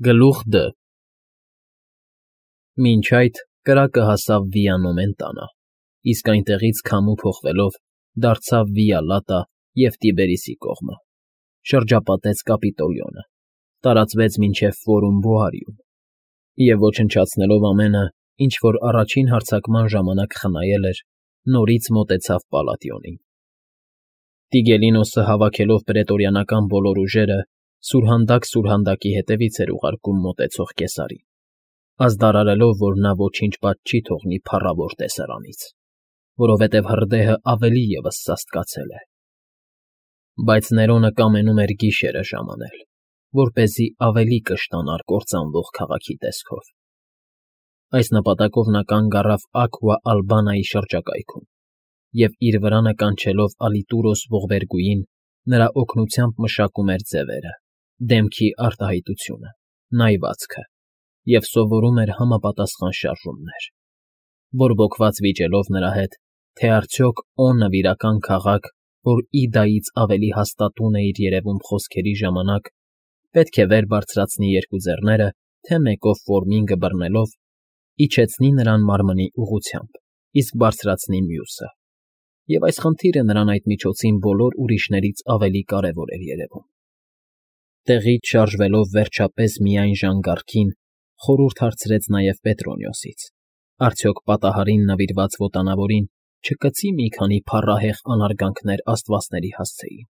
Գլուխ Դ Մինչ այդ կրակը հասավ Վիանոմեն տանը, իսկ այնտեղից քամու փոխվելով դարձավ Վիա Լատա և Տիբերիսի կողմը, շրջապատեց Կապիտոլիոնը, տարածվեց մինչև Ֆորում Բոարիում և, ոչնչացնելով ամենը, ինչ որ առաջին հարձակման ժամանակ խնայել էր, նորից մոտեցավ Պալատիոնին։ Տիգելինոսը, հավաքելով պրետորիանական բոլոր ուժերը, սուրհանդակ սուրհանդակի հետևից էր ուղարկում մոտեցող կեսարին, ազդարարելով, որ նա ոչինչ պատճ չի թողնի փառավոր տեսարանից, որովհետև հրդեհը ավելի ևս սաստկացել է։ Բայց Ներոնը կամենում էր գիշերը ժամանել, որպեսզի ավելի կշտանար կործանվող քաղաքի տեսքով։ Այս նպատակով նա կանգ առավ Աքվա Ալբանայի շրջակայքում և, իր վրանը կանչելով Ալիտուրոս ողբերգուին, նրա օգնությամբ մշակում էր ձևերը, դեմքի արտահայտությունը, նայվածքը և սովորում էր համապատասխան շարժումներ, բորբոքված վիճելով նրա հետ, թե արդյոք Օ նվիրական քաղաք, որ Իդայից ավելի հաստատուն է իր երևում խոսքերի ժամանակ, պետք է վեր բարձրացնի երկու ձեռները, թե մեկով Ֆորմինգը բռնելով, իջեցնի նրան մարմնի ուղղությամբ, իսկ բարձրացնի մյուսը, և այս խնդիրը նրան այդ միջոցին բոլոր ուրիշներից ավելի կարևոր էր երևում։ Տեղից շարժվելով վերջապես միայն ժանգառքին, խորհուրդ հարցրեց նաև Պետրոնիոսից. արդյոք պատահարին նվիրված ոտանավորին չկծի մի քանի փառահեղ անարգանքներ աստվածների հասցեին,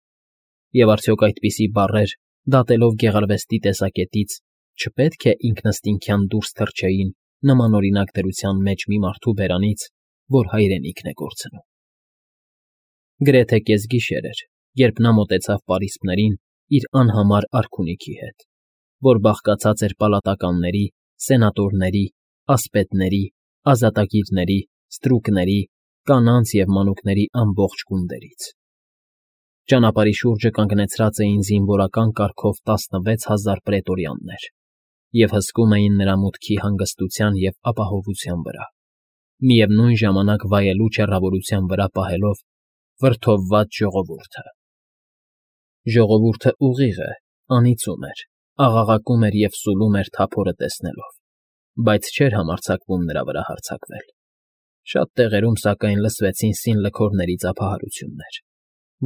և արդյոք այդպիսի բառեր, դատելով գեղարվեստի տեսակետից, չպետք է ինքնըստինքյան դուրս թռչեին նմանօրինակ դրության մեջ մի մարդու բերանից, որ հայրենիքն է կորցնում։ Գրեթե կեսգիշեր էր, երբ նա մոտեցավ պարիսպներին իր անհամար արքունիքի հետ, որ բաղկացած էր պալատականների, սենատորների, ասպետների, ազատագիրների, ստրուկների, կանանց և մանուկների ամբողջ գունդերից։ Ճանապարհի շուրջը կանգնեցրած էին զինվորական կարգով 16000 պրետորյաններ և հսկում էին նրա մուտքի հանգստության և ապահովության վրա, միևնույն ժամանակ վայելուչ հեռավորության վրա պահելով վրդովված ժողովուրդը։ Ժողովուրդը ուղիղ է, անիծում էր, աղաղակում էր և սուլում էր թափորը տեսնելով, բայց չէր համարձակվում նրա վրա հարձակվել։ Շատ տեղերում, սակայն, լսվեցին սինլքորների ծափահարություններ,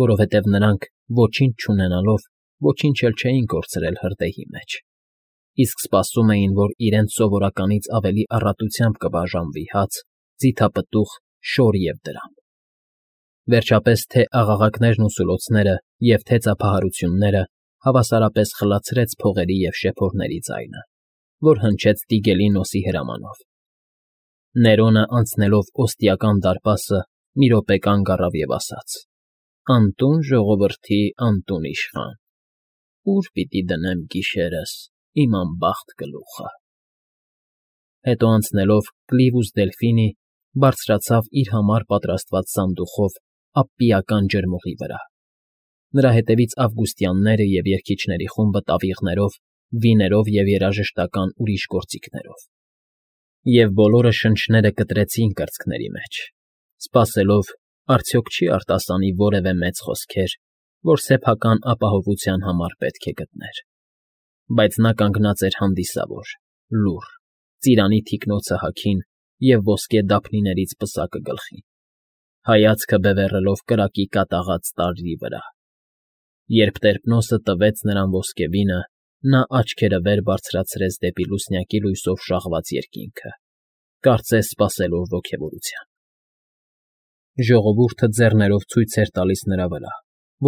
որովհետև նրանք, ոչինչ չունենալով, ոչինչ էլ չէին կորցրել հրդեհի մեջ, իսկ սպասում էին, որ իրենց սովորականից ավելի առատությամբ կբաժանվի հաց, ձիթապտուղ, շոր և դրամ։ Վերջապես թե աղաղակներն ու սուլոցները և թե ծափահարությունները հավասարապես խլացրեց փողերի և շեփորների ձայնը, որ հնչեց Տիգելինոսի հրամանով։ Ներոնը, անցնելով Օստիական դարպասը, մի րոպե կանգ առավ և ասաց. «Անտուն ժողովրդի անտուն իշխան, ո՞ւր պիտի դնեմ գիշերս իմ անբախտ գլուխը»։ Հետո անցնելով Կլիվուս Դելֆինի, բարձրացավ իր համար պատրաստված սանդուղով Ապպիական ջրմուղի վրա։ Նրա հետևից ավգուստյանները և երգիչների խումբը տավիղներով, վիներով և երաժշտական ուրիշ գործիքներով։ Եվ բոլորը շնչները կտրեցին կրծքների մեջ, սպասելով, արդյոք չի արտասանի որևէ մեծ խոսքեր, որ սեփական ապահովության համար պետք է գտներ։ Բայց նա կանգնած էր հանդիսավոր, լուռ, ծիրանի թիկնոցը հագին և ոսկե դափնիներից պսակը գլխին, հայացքը բևեռելով կրակի կատաղած տարրի վրա։ Երբ Տերպնոսը տվեց նրան ոսկեվինը, նա աչքերը վեր բարձրացրեց դեպի լուսնյակի լույսով շաղված երկինքը, կարծես սպասելով ոգևորության։ Ժողովուրդը ձեռներով ցույց էր տալիս նրա վրա,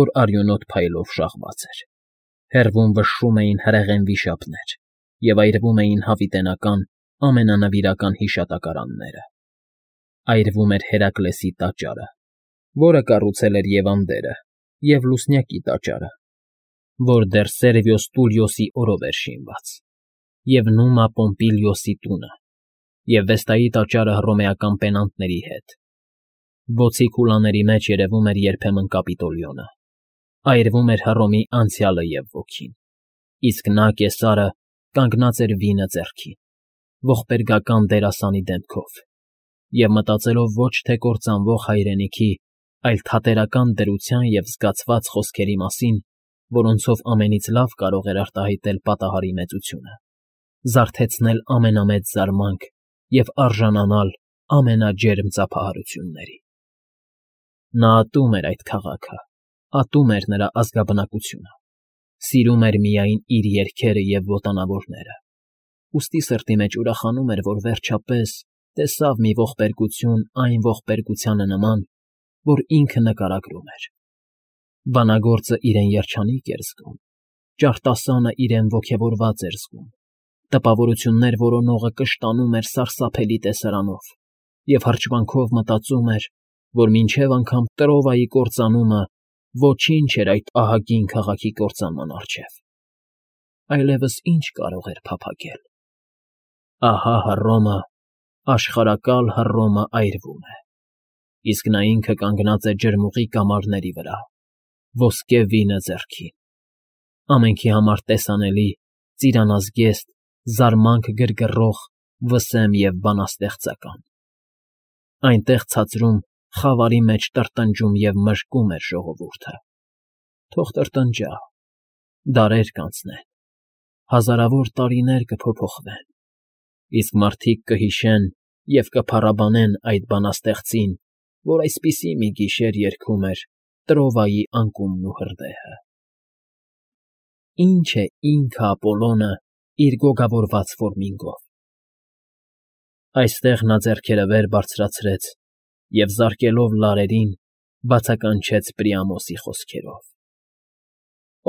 որ արյունոտ փայլով շաղված էր։ Հեռվում վշռում էին հրեղեն վիշապներ և այրվում էին հավիտենական, ամենանվիրական հիշատակարանները։ Այրվում էր Հերակլեսի տաճարը, որը կառուցել էր Եվանդերը, և Լուսնյակի տաճարը, որ դեռ Սերվիոս Տուլիոսի օրով էր շինված, և Նումա Պոմպիլիոսի տունը, և Վեստայի տաճարը հռոմեական պենանտների հետ։ Բոցի քուլաների մեջ երևում էր երբեմն Կապիտոլիոնը, այրվում էր Հռոմի անցյալը և ոգին, իսկ նա, կեսարը, կանգնած էր վինը ձեռքին, ողբերգական դերասանի դեմքով, և մտածելով ոչ թե կործանվող հայրենիքի, այլ թատերական դրության և զգացված խոսքերի մասին, որոնցով ամենից լավ կարող էր արտահայտել պատահարի մեծությունը։ զարթեցնել ամենամեծ զարմանք և արժանանալ ամենաջերմ ծափահարությունների։ Նա ատում էր այդ քաղաքը, ատում էր նրա ազգաբնակությունը, սիրում էր միայն իր երգերը և ոտանավորները, ուստի սրտի մեջ ուրախանում էր, որ վերջապես տեսավ մի ողբերգություն այն ողբերգությանը նման, որ ինքը նկարագրում էր։ Բանագործը իրեն երջանիկ էր զգում, ճարտասանը իրեն ոգևորված էր զգում, տպավորություններ որոնողը կշտանում էր սարսափելի տեսարանով և հրճվանքով մտածում էր, որ մինչև անգամ Տրովայի կործանումը ոչինչ էր այդ ահագին քաղաքի կործանման առջև։ Այլևս ինչ կարող էր փափագել։ Ահա Հռոմը, աշխարհակալ Հռոմը այրվում է, իսկ նա ինքը կանգնած է ջրմուղի կամարների վրա, ոսկե վինը ձեռքին, ամենքի համար տեսանելի, ծիրանազգեստ, զարմանք գրգռող, վսեմ և բանաստեղծական։ Այնտեղ ցածրում խավարի մեջ տրտնջում և մժկում էր ժողովուրդը։ Թող տրտնջա, դարեր կանցնեն, հազարավոր տարիներ կփոփոխվեն, իսկ մարդիկ կհիշեն և կփառաբանեն այդ բանաստեղծին, որ այսպիսի մի գիշեր երգում էր Տրովայի անկումն ու հրդեհը։ Ինչ է ինքը Ապոլոնը իր գոգավորված ֆորմինգով։ Այստեղ նա ձեռքերը վեր բարձրացրեց և, զարկելով լարերին, բացականչեց Պրիամոսի խոսքերով.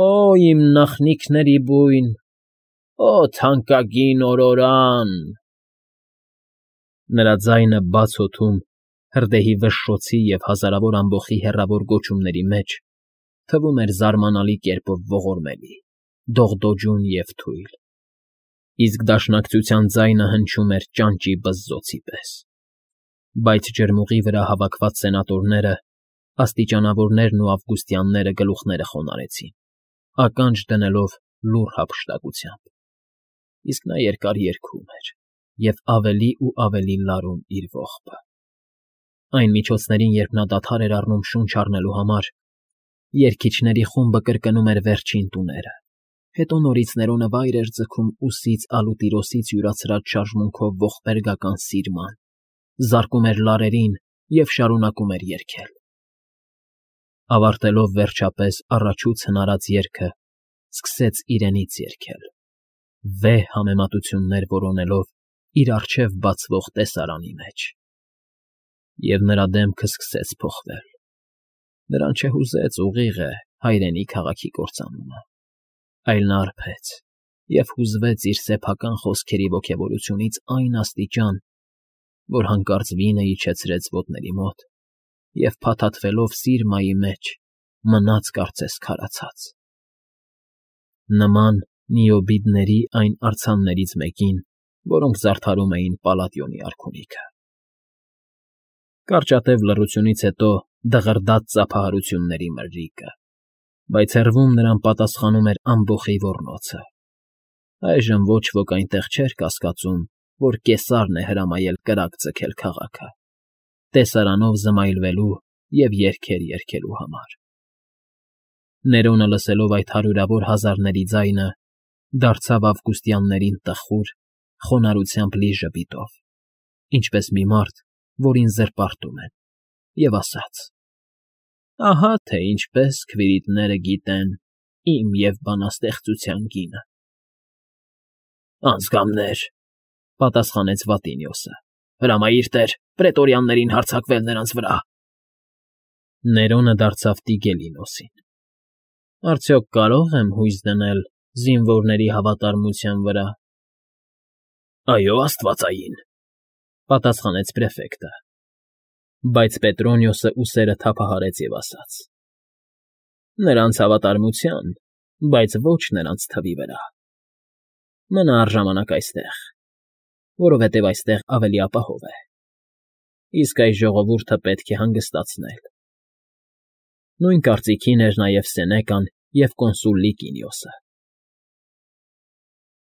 «Օ, իմ նախնիքների բույն, օ, թանկագին օրորան»։ Նրա ձայնը բաց օդում, հրդեհի վշշոցի և հազարավոր ամբոխի հեռավոր գոչումների մեջ թվում էր զարմանալի կերպով ողորմելի, դողդոջուն և թույլ, իսկ դաշնակցության ձայնը հնչում էր ճանճի բզզոցի պես։ Բայց ջրմուղի վրա հավաքված սենատորները, աստիճանավորներն ու ավգուստյանները գլուխները խոնարհեցին, ականջ դնելով լուռ հափշտակությամբ, իսկ նա երկար երգում էր և ավելի ու ավելի լարում իր ողբը։ Այն միջոցներին, երբ նա դադար էր առնում շունչ առնելու համար, երգիչների խումբը կրկնում էր վերջին տուները, հետո նորից Ներոնը վայր էր ձգում ուսից ալուտիրոսից յուրացրած շարժմունքով ողբերգական սիրման, զարկում էր լարերին և շարունակում էր երգել։ Ավարտելով վերջապես առաջուց հնարած երգը, սկսեց իրենից երգել, վեհ համեմատություններ որոնելով իր առջև բացվող տեսարանի մեջ։ Եվ նրա դեմքը սկսեց փոխվել։ Նրան չհուզեց ուղիղ է հայրենի քաղաքի կործանումը, այլ նա արբեց և հուզվեց իր սեփական խոսքերի ոգևորությունից այն աստիճան, որ հանկարծ վինը իջեցրեց ոտների մոտ և, փաթաթվելով սիրմայի մեջ, մնաց կարծես քարացած։ Նման Նիոբիդների այն արձաններից մեկին, որոնք զարդարում էին Պալատիոնի արքունիքը։ Կարճատև լռությունից հետո դղրդաց ծափահարությունների մրրիկը, բայց հեռվում նրան պատասխանում էր ամբոխի ոռնոցը։ Այժմ ոչ ոք այնտեղ չէր կասկածում, որ Կեսարն է հրամայել կրակ ձգել քաղաքը, տեսարանով զմայլվելու և երգեր երգելու համար։ Ներոնը, լսելով այդ հարյուրավոր հազարների ձայնը, դարձավ ավգուստյաններին տխուր, խոնարհությամբ լի ժպիտով, ինչպես մի մարդ, որին զրպարտում են, և ասաց. «Ահա թե ինչպես քվիրիտները գիտեն իմ և բանաստեղծության գինը»։ «Անձգամներ,֊ պատասխանեց Վատինիոսը,֊ հրամայիր տեր պրետորյաններին հարձակվել նրանց վրա»։ Ներոնը դարձավ Տիգելինոսին. «Արդյոք կարո՞ղ եմ հույս դնել զինվորների հավատարմության վրա»։ «Այո, աստվածային,֊ պատասխանեց պրեֆեկտը։ Բայց Պետրոնիոսը ուսերը թափահարեց և ասաց. «Նրանց հավատարմության, բայց ոչ նրանց թվի վրա։ Մնա առժամանակ այստեղ, որովհետև այստեղ ավելի ապահով է, իսկ այս ժողովուրդը պետք է հանգստացնել»։ Նույն կարծիքին էր նաև Սենեկան և կոնսուլ Լիկինիոսը։